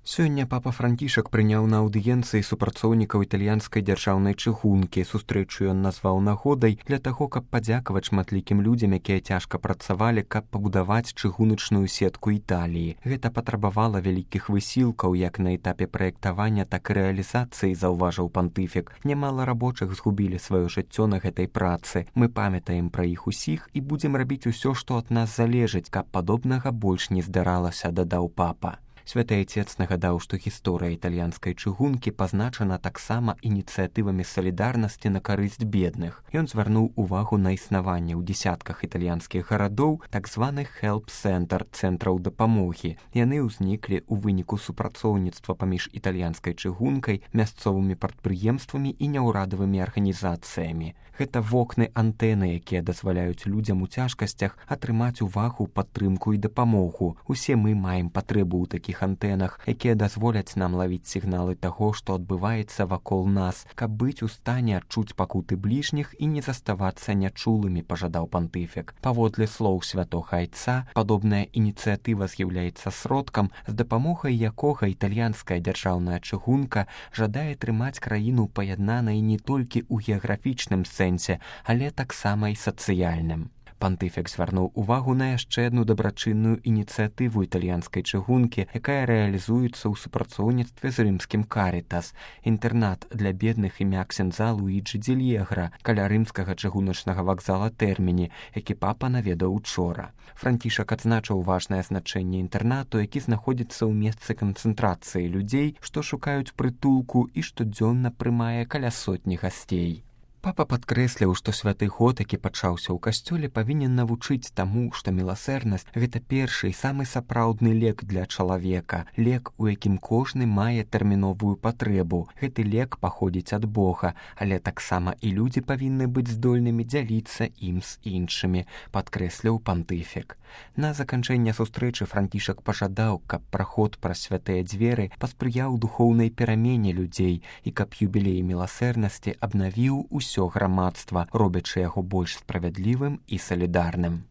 Сёння папа Францішак прыняў на аўдыенцыі супрацоўнікаў італьянскай дзяржаўнай чыгункі. Сустрэчу ён назваў нагодай для таго, каб падзякаваць шматлікім людзям, якія цяжка працавалі, каб пабудаваць чыгуначную сетку Італіі. Гэта патрабавала вялікіх высілкаў як на этапе праектавання, так і рэалізацыі, заўважыў пантыфік. Нямала рабочых згубілі сваё жыццё на гэтай працы. Мы памятаем пра іх усіх і будзем рабіць усё, што ад нас залежыць, каб падобнага больш не здаралася, дадаў папа. Святы Айцец нагадаў, што гісторыя італьянскай чыгункі пазначана таксама ініцыятывамі салідарнасці на карысць бедных. Ён звярнуў увагу на існаванне ў дзесятках італьянскіх гарадоў так званых help-цэнтр, цэнтраў дапамогі. Яны ўзніклі ў выніку супрацоўніцтва паміж італьянскай чыгункай, мясцовымі прадпрыемствамі і няўрадавымі арганізацыямі. Гэта вокны-антэны, якія дазваляюць людзям у цяжкасцях атрымаць увагу, падтрымку і дапамогу. Усе мы маем патрэбу ў такіх антэнах, якія дазволяць нам лавіць сігналы таго, што адбываецца вакол нас, каб быць у стане адчуць пакуты бліжніх і не заставацца нячулымі, пажадаў пантыфік. Паводле слоў святога Айца, падобная ініцыятыва з'яўляецца сродкам, з дапамогай якога італьянская дзяржаўная чыгунка жадае трымаць краіну паяднанай не толькі ў геаграфічным сэнсе, але таксама і сацыяльным. Пантыфік звярнуў увагу на яшчэ адну дабрачынную ініцыятыву італьянскай чыгункі, якая рэалізуецца ў супрацоўніцтве з рымскім Карітас. Інтэрнат для бедных імя ксяндза Луіджы Дзельегра каля рымскага чыгуначнага вакзала Тэрміні, які папа наведаў учора. Францішак адзначыў важнае значэнне інтэрнату, які знаходзіцца ў месцы канцэнтрацыі людзей, што шукаюць прытулку і штодзённа прымае каля сотні гасцей. Папа падкрэсліў, што святы год, які пачаўся ў касцёле, павінен навучыць таму, што міласэрнасць – гэта першы і самы сапраўдны лек для чалавека, лек, у якім кожны мае тэрміновую патрэбу. Гэты лек паходзіць ад Бога, але таксама і людзі павінны быць здольнымі дзяліцца ім з іншымі, падкрэсліў пантыфік. На заканчэнне сустрэчы Францішак пажадаў, каб праход праз святыя дзверы паспрыяў духоўнай перамене людзей і каб юбілей міласэрнасці абнавіў усё грамадства, робячы яго больш справядлівым і салідарным.